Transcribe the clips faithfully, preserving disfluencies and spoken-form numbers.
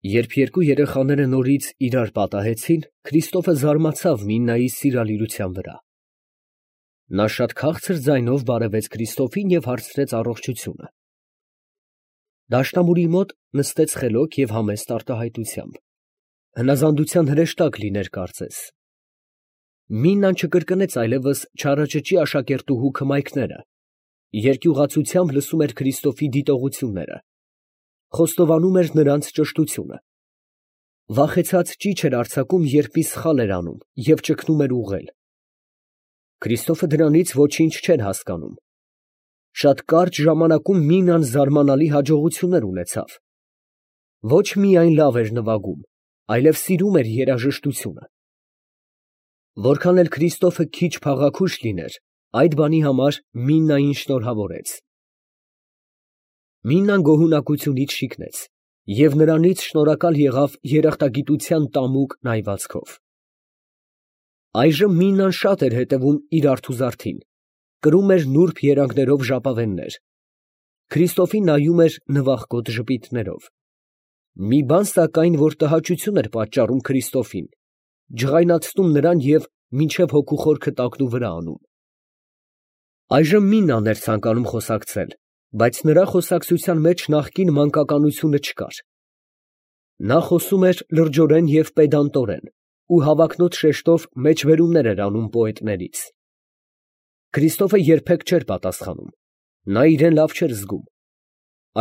Երբ երկու երեխաները նորից իրար պատահեցին, Քրիստոֆը զարմացավ Միննայի սիրալիրության վրա. նա շատ քաղցր ձայնով բարևեց Քրիստոֆին և հարցրեց առողջությունը. դաշնամուրի մոտ նստեց խելոք և համեստ արտահայտությամբ, հնազանդության հրեշտակ լիներ կարծես։ Միննան չկրկնեց այլևս չարաճճի աշակերտուհու քմայքները, երկյուղացությամբ լսում էր Քրիստոֆի դիտողությունները, խոստովանում էր նրանց ճշտությունը, վախեցած ճիչ էր արձակում, երբ մի սխալ էր անում և ճգնում էր ուղղել։ Քրիստոֆը դրանից ոչինչ չէր հասկանում։ Շատ կարճ ժամանակում Միննան զարմանալի հաջողություններ ունեցավ։ Ոչ միայն լավ էր նվագում, այլև սիրում էր երաժշտությունը։ Որքան էլ Քրիստոֆը քիչ փաղաքուշ լիներ, այդ բանի համար Միննային շնորհավորեց։ Միննան գոհունակությունից շիկնեց և նրանից շնորհակալ եղավ երախտագիտության տամուկ նայվածքով։ Այժմ Միննան շատ էր հետևում իր արթուզարդին, կրում էր նուրբ երանգներով ժապավեններ, Քրիստոֆին նայում էր նվախկոտ ժպիտներով։ Մի բան սակայն, որ տհաճություն էր պատճառում Քրիստոֆին, ջղայնացնում նրան և մինչև հոգու խորքը տակնուվրա անում։ Այժմ Միննան էր ցանկանում խոսակցել, բայց նրա խոսակցության մեջ նախկին մանկականությունը չկար։ Նա խոսում էր լրջորեն և պեդանտորեն ու հավակնոտ շեշտով մեջբերումներ էր անում պոետներից։ Քրիստոֆը երբեք չէր պատասխանում, նա իրան լավ չէր զգում։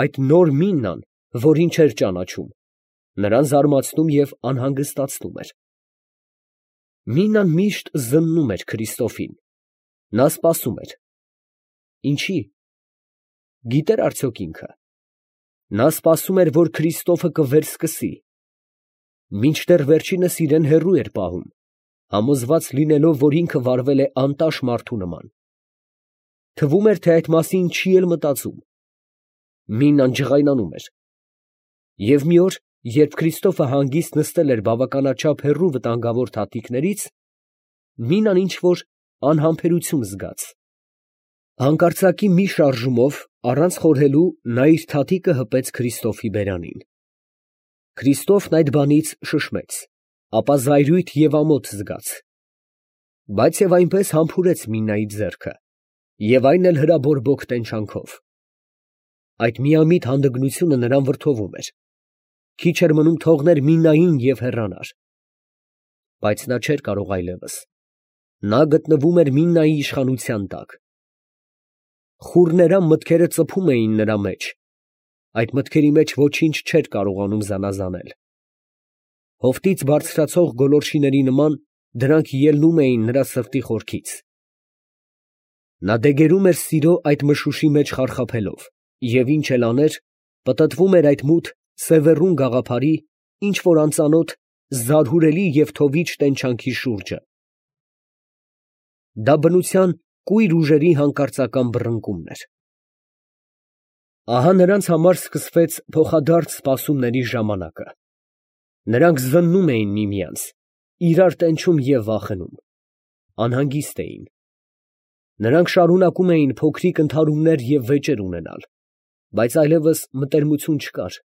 Այդ նոր Միննան, որին չէր ճանաչում, նրան զարմացնում և անհանգստացնում էր։ Միննան միշտ զննում էր Քրիստոֆին։ Նա սպասում էր։ Ինչի՞։ Գիտե՞ր արդյոք ինքը։ Նա սպասում էր, որ Քրիստոֆը կվերսկսի։ Մինչդեռ վերջինս իրան հեռու էր պահում, համոզված լինելով, որ ինքը վարվել է անտաշ մարդու նման։ Թվում էր, թե այդ մասին չի էլ մտածում։ Միննան ջղայնանում էր։ Եվ մի օր, երբ Քրիստոֆը հանգիստ նստել էր բավականաչափ հեռու վտանգավոր թաթիկներից, Միննան ինչ֊որ անհամբերություն զգաց։ Հանկարծակի մի շարժումով, առանց խորհելու, նա իր թաթիկը հպեց Քրիստոֆի բերանին։ Քրիստոֆն այդ բանից շշմեց, ապա զայրույթ և ամոթ զգաց։ Բայց և այնպես համբուրեց Միննայի ձեռքը, և այն էլ հրաբորբոք տենչանքով։ Այդ միամիտ հանդգնությունը նրան վրդովում էր։ Քիչ էր մնում թողներ Միննային և հեռանար։ Բայց նա չէր կարող այլևս։ Նա գտնվում էր Միննայի իշխանության տակ։ Խուռներամ մտքերը ծփում էին նրա մեջ։ Այդ մտքերի մեջ ոչինչ չէր կարողանում զանազանել։ Հովտից բարձրացող գոլորշիների նման դրանք ելնում էին նրա սրտի խորքից։ Նա դեգերում էր սիրո այդ մշուշի մեջ խարխափելով, և ինչ էլ աներ, պտտվում էր այդ մութ, սևեռուն գաղափարի, ինչ֊որ անծանոթ, զարհուրելի և թովիչ տենչանքի շուրջը։ Դա բնության կույր ուժերի հանկարծական բռնկումն էր։ Ահա նրանց համար սկսվեց փոխադարձ սպասումների ժամանակը։ Նրանք զննում էին միմյանց, իրար տենչում և վախենում, անհանգիստ էին։ Նրանք շարունակում էին փոքրիկ ընդհարումներ և վեճեր ունենալ, բայց այլևս մտերմություն չկար,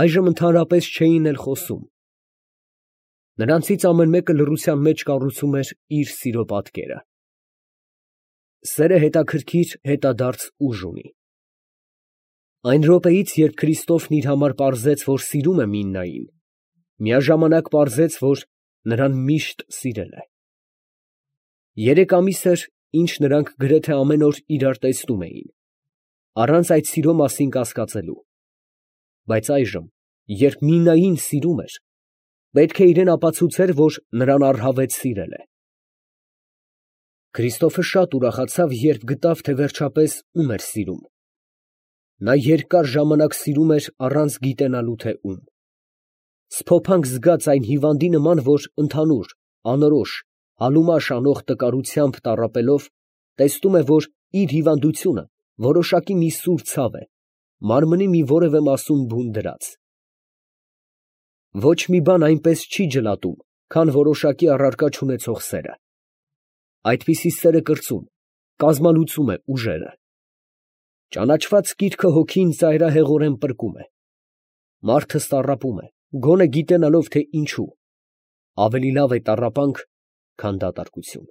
այժմ ընդհանրապես չէին էլ խոսում։ Նրանցից ամեն մեկը լռության մեջ կառուցում էր իր սիրո պատկերը։ Սերը հետաքրքիր հետադարձ ուժ ունի։ Այն րոպեից, երբ Քրիստոֆն իր համար պարզեց, որ սիրում է Միննային, միաժամանակ պարզեց, որ նրան միշտ սիրել է։ Երեք ամիս էր, ինչ նրանք գրեթե ամեն օր իրար տեսնում էին, առանց այդ սիրո մասին կասկածելու։ Բայց այժմ, երբ Միննային սիրում էր, պետք է իրան ապացուցեր, որ նրան առհավետ սիրել է։ Քրիստոֆը շատ ուրախացավ, երբ գտավ, թե վերջապես ում էր սիրում։ Նա երկար ժամանակ սիրում էր առանց գիտենալու, թե ում։ Սփոփանք զգաց այն հիվանդի նման, որ ընդհանուր, անորոշ, հալումաշ անող տկարությամբ տառապելով, տեսնում է, որ իր հիվանդությունը որոշակի մի սուր ցավ է, մարմնի մի որևէ մասում բուն դրած։ Ոչ մի բան այնպես չի ջլատում, քան որոշակի առարկա չունեցող սերը։ Այդպիսի սերը կրծում, կազմալուծում է ուժերը։ Ճանաչված կիրքը հոգին ծայրահեղորեն պրկում է։ Մարդը տառապում է, գոնե գիտենալով, թե ինչու, ավելի լավ է տառապանք, քան դատարկություն։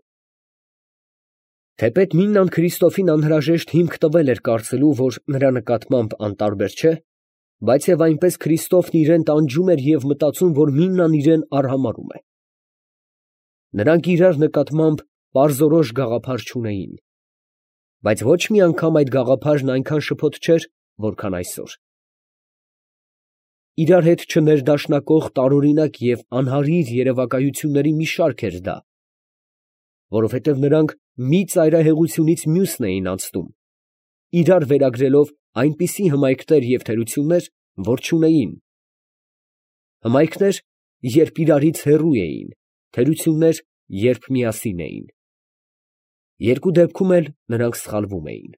Թեպետ Միննան Քրիստոֆին անհրաժեշտ հիմք տվել էր կարծելու, որ նրա նկատմամբ անտարբեր չէ, բայց և այնպես Քրիստոֆն իրան տանջում էր և մտածում, որ Միննան իրան արհամարհում է։ Նրանք իրար նկատմամբ պարզորոշ գաղափար չունեին, բայց ոչ մի անգամ այդ գաղափարն այնքան շփոթ չէր, որքան այսօր։ Իրար հետ չներդաշնակող տարօրինակ և անհարիր երևակայությունների մի շարք էր դա, որովհետև նրանք մի ծայրահեղությունից մյուսն էին անցնում, իրար վերագրելով այնպիսի հմայքներ և թերություններ, որ չունեին, հմայքներ, երբ իրարից հեռու էին, թերություններ, երբ միասին էին։ Երկու դեպքում էլ նրանք սխալվում էին։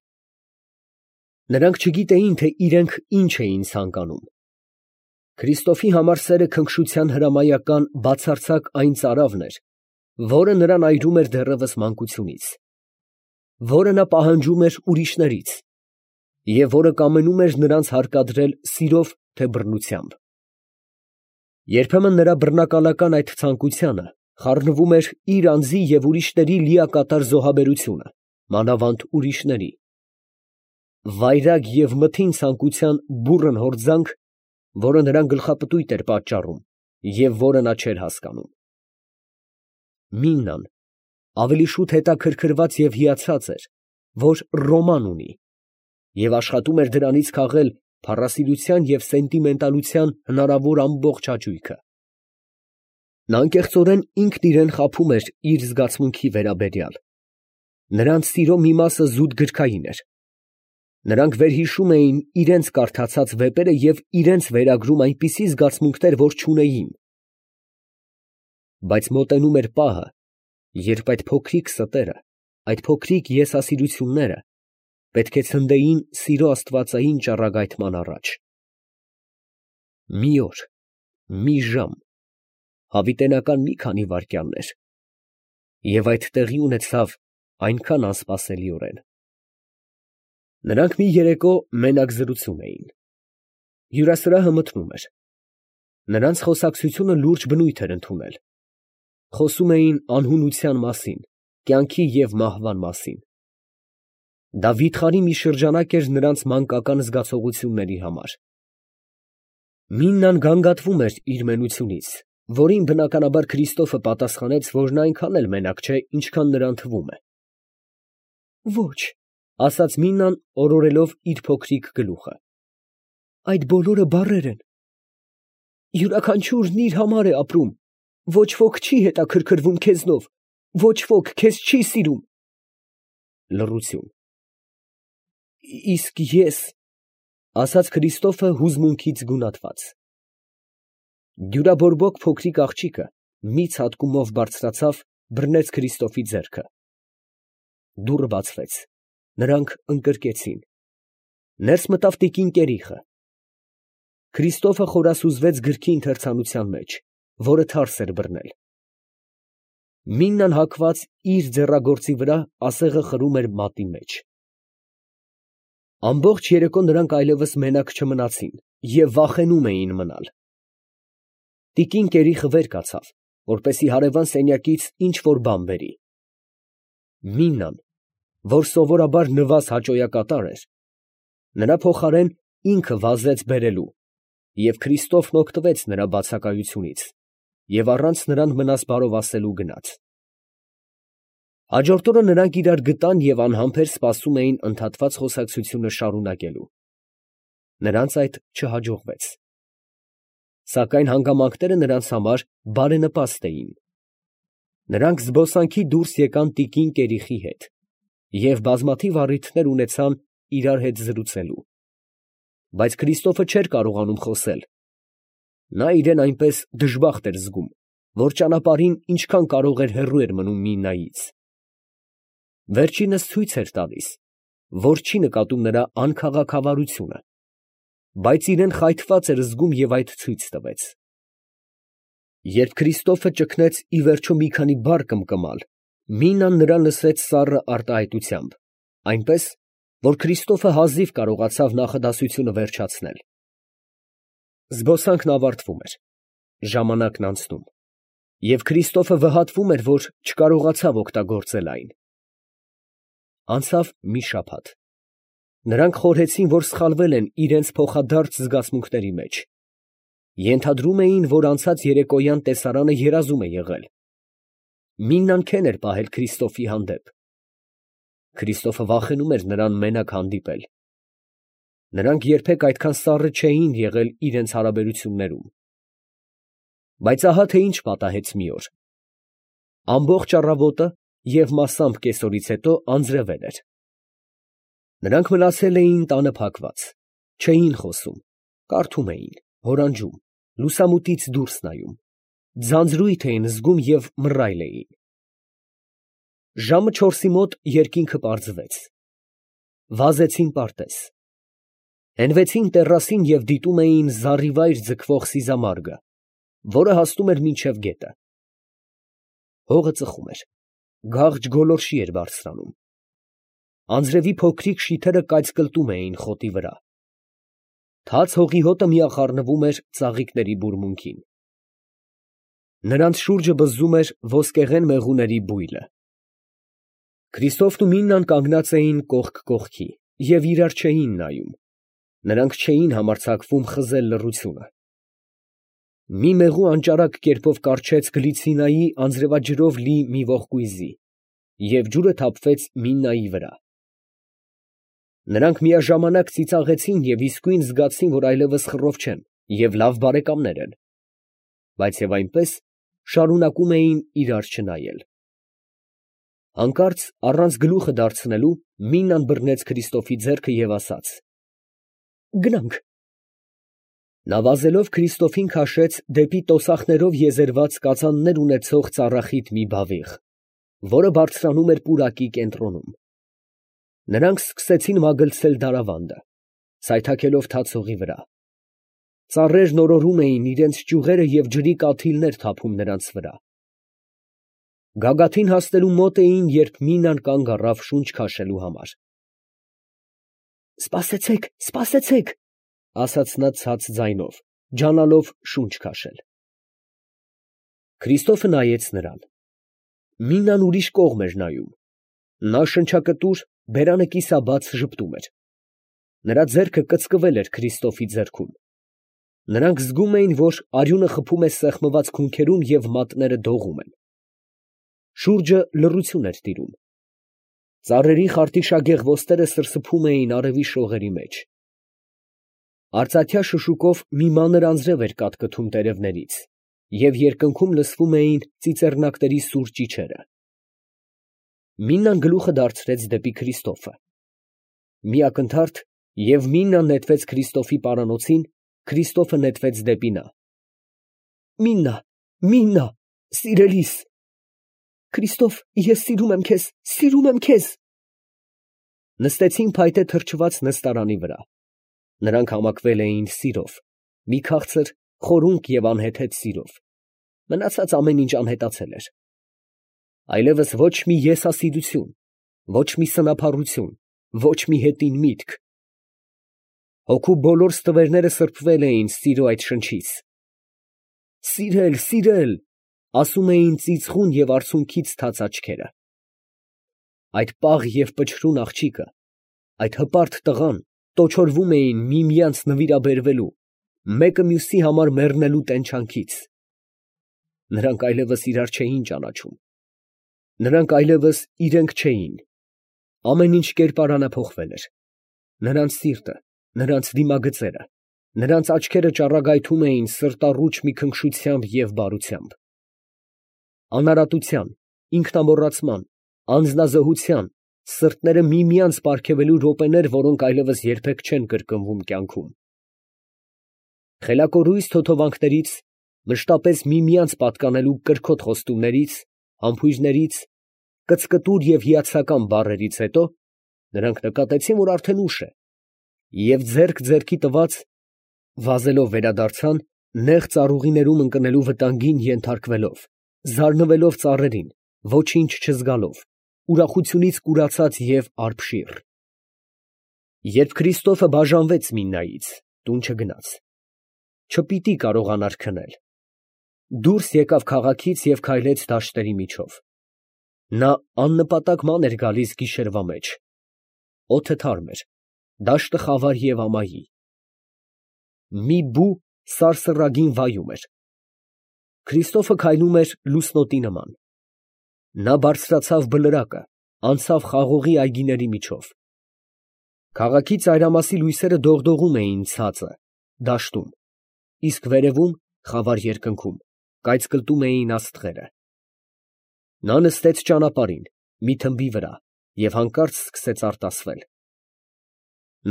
Նրանք չգիտեին, թե իրենք ինչ էին ցանկանում։ Քրիստոֆի համար սերը քնքշության հրամայական բացարձակ այն ծարավն էր, որը նրան այրում էր դեռևս մանկությունից, որը նա պահանջում էր ուրիշներից և որը կամենում էր նրանց հարկադրել սիրով, թե բռնությամբ։ Երբեմն նրա բռնակալական այդ ցանկությանը խառնվում էր իր անձի և ուրիշների լիակատար զոհաբերությունը, մանավանդ ուրիշների, վայրագ և մթին ցանկության բուռն հորձանք, որը նրան գլխապտույտ էր պատճառում և որը նա չէր հասկանում։ Միննան ավելի շուտ հետաքրքրված և հիացած էր, որ ռոման ունի, և աշխատում էր դրանից քաղել փառասիրության և սենտիմենտալության հնարավոր ամբողջ հաճույքը։ Նա անկեղծորեն ինքն իրան խաբում էր իր զգացմունքի վերաբերյալ. նրանց սիրո մի մասը զուտ գրքային էր, նրանք վերհիշում էին իրենց կարդացած վեպերը և իրենց վերագրում այնպիսի զգացմունքներ, որ չունեին։ Բայց մոտենում էր պահը, երբ այդ փոքրիկ ստերը, այդ փոքրիկ եսասիրությունները պետք է ցնդեին սիրո աստվածային ճառագայթման առաջ։ Մի օր, մի ժամ, հավիտենական մի քանի վայրկյաններ, և այդ տեղի ունեցավ այնքան անսպասելիորեն։ Նրանք մի երեկո մենակ զրուցում էին։ Հյուրասրահը մթնում էր։ Նրանց խոսակցությունը լուրջ բնույթ էր ընդունել։ Խոսում էին անհունության մասին, կյանքի և մահվան մասին։ Դա վիթխարի մի շրջանակ էր նրանց մանկական զգացողությունների համար։ Միննան գանգատվում էր իր մենությունից, որին բնականաբար Քրիստոֆը պատասխանեց, որ նա այնքան էլ մենակ չէ, ինչքան նրան թվում է։ «Ոչ», ֊ ասաց Միննան, օրորելով իր փոքրիկ գլուխը, «այդ բոլորը բառեր են։ Յուրաքանչյուրն իր համար է ապրում, ոչ ոք չի հետաքրքրվում քեզնով, ոչ ոք քեզ չի սիրում»։ Լռություն։ «Իսկ ես», ֊ ասաց Քրիստոֆը հուզմունքից գունատված։ Դյուրաբորբոք փոքրիկ աղջիկը մի ցատկումով բարձրացավ, բռնեց Քրիստոֆի ձեռքը։ Դուռը բացվեց, նրանք ընկրկեցին։ Ներս մտավ տիկին կերիխը։ Քրիստոֆը խորասուզվեց գրքի ընթերցանության մեջ, որը թարս էր բռնել։ Միննան հագված իր ձեռագործի վրա ասեղը խրում էր մատի մեջ։ Ամբողջ երեկո նրանք այլևս մենակ չմնացին և վախենում էին մնալ։ Տիկին կերիխը վեր կացավ, որպեսզի հարևան սենյակից ինչ֊որ բան բերի։ Միննան, որ սովորաբար նվազ հաճոյակատար էր, նրա փոխարեն ինքը վազեց բերելու, և Քրիստոֆն օգտվեց նրա բացակայությունից և առանց նրան մնաս բարով ասելու գնաց։ Հաջորդ օրը նրանք իրար գտան և անհամբեր սպասում էին ընդհատված խոսակցությունը շարունակելու։ Նրանց այդ չհաջողվեց։ Սակայն հանգամանքները նրանց համար բարենպաստ էին։ Նրանք զբոսանքի դուրս եկան տիկին կերիխի հետ և բազմաթիվ առիթներ ունեցան իրար հետ զրուցելու։ Բայց Քրիստոֆը չէր կարողանում խոսել։ Նա իրան այնպես դժբախտ էր զգում, որ ճանապարհին ինչքան կարող էր հեռու էր մնում Միննայից։ Վերջինս ցույց էր տալիս, որ չի նկատում նրա անքաղաքավարությունը, բայց իրան խայթված էր զգում և այդ ցույց տվեց։ Երբ Քրիստոֆը ճգնեց ի վերջո մի քանի բառ կմկմալ, Միննան նրան լսեց սառը արտահայտությամբ, այնպես, որ Քրիստոֆը հազիվ կարողացավ նախադասությունը վերջացնել։ Զբոսանքն ավարտվում էր։ Ժամանակն անցնում, և Քրիստոֆը վհատվում էր, որ չկարողացավ օգտագործել այն։ Անցավ մի շաբաթ. նրանք խորհեցին, որ սխալվել են իրենց փոխադարձ զգացմունքների մեջ. ենթադրում էին, որ անցած երեկոյան տեսարանը երազում է եղել։ Միննան քեն էր պահել Քրիստոֆի հանդեպ։ Քրիստոֆը վախենում էր նրան մենակ հանդիպել։ Նրանք երբեք այդքան սառը չէին եղել իրենց հարաբերություններում։ Բայց ահա թե ինչ պատահեց մի օր. ամբողջ առավոտը և մասամբ կեսօրից հետո անձրևել էր։ Նրանք մնացել էին տանը փակված, չէին խոսում, կարդում էին, հորանջում, լուսամուտից դուրս նայում, ձանձրույթ էին զգում և մռայլ էին։ Ժամը չորսի մոտ երկինքը պարզվեց։ Վազեցին պարտեզ։ Հենվեցին տեռասին և դիտում էին զառիվայր ձգվող սիզամարգը, որը հասնում էր մինչև գետը։ Հողը ծխում էր, գաղջ գոլորշի էր բարձրանում։ Անձրևի փոքրիկ շիթերը կայծկլտում էին խոտի վրա։ Թաց հողի հոտը միախառնվում էր ծաղիկների բուրմունքին։ Նրանց շուրջը բզզում էր ոսկեղեն մեղուների բույլը։ Քրիստոֆն ու Միննան կանգնած էին կողք կողքի և իրար չէին նայում։ Նրանք չէին համարձակվում խզել լռությունը։ Մի մեղու անճարակ կերպով կառչեց Գլիցինայի անձրևաջրով լի մի ողկույզի, և ջուրը թափվեց Միննայի վրա։ Նրանք միաժամանակ ծիծաղեցին և իսկույն զգացին, որ այլևս խռով չեն և լավ բարեկամներ են, բայց և այնպես շարունակում էին իրար չնայել։ Հանկարծ, առանց գլուխը դարձնելու, Միննան բռնեց Քրիստոֆի ձեռքը և ասաց. «Գնանք»։ Նա վազելով Քրիստոֆին քաշեց դեպի տոսախներով եզերված կածաններ ունեցող ծառախիտ մի բավիղ, որը բարձրանում էր պուրակի կենտրոնում։ Նրանք սկսեցին մագլցել դարավանդը, սայթաքելով թաց հողի վրա։ Ծառերն օրորում էին, իրենց ճյուղերը և ջրի կաթիլներ թափում նրանց վրա։ Գագաթին հասնելու մոտ էին, երբ Միննան կանգ առավ շունչ քաշելու համար։ «Սպասեցեք, սպասեցեք», ֊ ասաց նա ցած ձայնով, ջանալով շունչ քաշել։ Քրիստոֆը նայեց նրան։ Միննան ուրիշ կողմ էր նայում։ Նա շնչակտուր, բերանը կիսաբաց ժպտում էր։ Նրա ձեռքը կծկվել էր Քրիստոֆի ձեռքում։ Նրանք զգում էին, որ արյունը խփում է սեղմված քունքերում և մատները դողում են։ Շուրջը լռություն էր տիրում։ Ծառերի խարտիշագեղ ոստերը սրսփում էին արևի շողերի մեջ։ Արծաթյա շշուկով մի մանր անձրև էր կատկթում տերևներից, և երկնքում լսվում էին ծիծեռնակների սուր ճիչերը։ Միննան գլուխը դարձրեց դեպի Քրիստոֆը։ Մի ակնթարթ, և Միննան նետվեց Քրիստոֆի պարանոցին, Քրիստոֆը նետվեց դեպի նա։ «Միննա, Միննա, սիրելիս»։ «Քրիստոֆ, ես սիրում եմ քեզ, սիրում եմ քեզ»։ Նստեցին փայտե թրջված նստարանի վրա։ Նրանք համակվել էին սիրով, մի քաղցր, խորունկ և անհեթեթ սիրով։ Մնացած ամեն ինչ անհետացել էր։ Այլևս ոչ մի եսասիրություն, ոչ մի սնափառություն, ոչ մի հետին միտք։ Հոգու բոլոր ստվերները սրբվել էին սիրո այդ շնչից։ «Սիրել, սիրել», ասում էին ծիծխուն և արցունքից թաց աչքերը։ Այդ պաղ և պչրուն աղջիկը, այդ հպարտ տղան տոչորվում էին միմյանց նվիրաբերվելու, մեկը մյուսի համար մեռնելու տենչանքից։ Նրանք այլևս իրար չէին ճանաչում։ Նրանք այլևս իրենք չէին։ Ամեն ինչ կերպարանափոխվել էր։ Նրանց սիրտը, նրանց դիմագծերը, նրանց աչքերը ճառագայթում էին սրտառուչ մի քնքշությամբ և բարությամբ։ Անարատության, ինքնամոռացման, անձնազոհության, սրտերը միմյանց պարգևելու րոպեներ, որոնք այլևս երբեք չեն կրկնվում կյանքում։ Խելակորույս թոթովանքներից, մշտապես միմյանց պատկանելու կրքոտ խոստումներից, համբույրներից, կծկտուր և հիացական բառերից հետո նրանք նկատեցին, որ արդեն ուշ է, և ձեռք ձեռքի տված, վազելով վերադարձան, նեղ ծառուղիներում ընկնելու վտանգին ենթարկվելով, զարնվելով ծառերին, ոչինչ չզգալով, ուրախությունից կուրացած և արբշիռ։ Երբ Քրիստոֆը բաժանվեց Միննայից, տուն չգնաց։ Չպիտի կարողանար քնել։ Դուրս եկավ քաղաքից և քայլեց դաշտերի միջով։ Նա աննպատակ ման էր գալիս գիշերվա մեջ։ Օդը թարմ էր, դաշտը խավար և ամայի։ Մի բու սարսռագին վայում էր։ Քրիստոֆը քայլում էր լուսնոտի նման։ Նա բարձրացավ բլրակը, անցավ խաղողի այգիների միջով։ Քաղաքի ծայրամասի լույսերը դողդողում էին ցածը, դաշտում, իսկ վերևում, խավար երկնքում, կայծկլտում էին աստղերը։ Նա նստեց ճանապարհին, մի թմբի վրա և հանկարծ սկսեց արտասվել։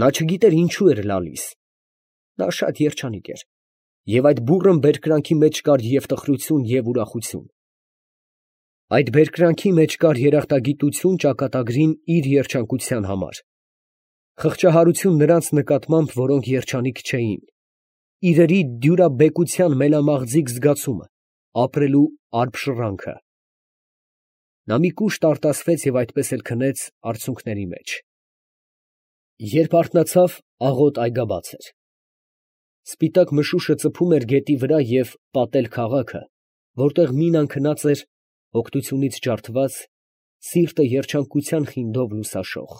Նա չգիտեր ինչու էր լալիս։ Նա շատ երջանիկ էր, և այդ բուռն բերկրանքի մեջ կար և տխրություն, և ուրախություն։ Այդ բերկրանքի մեջ կար երախտագիտություն ճակատագրին իր երջանկության համար, խղճահարություն նրանց նկատմամբ, որոնք երջանիկ չէին, իրերի դյուրաբեկության մելամաղձիկ զգացումը, ապրելու արբշրանքը։ Նա մի կուշտ արտասվեց և այդպես էլ քնեց արցունքների մեջ։ Երբ արթնացավ, աղոտ այգաբաց էր։ Սպիտակ մշուշը ծփում էր գետի վրա և պատել քաղաքը, որտեղ մինան քնած էր, օգնությունից ջարդված, սիրտը երջանկության խինդով լուսաշող։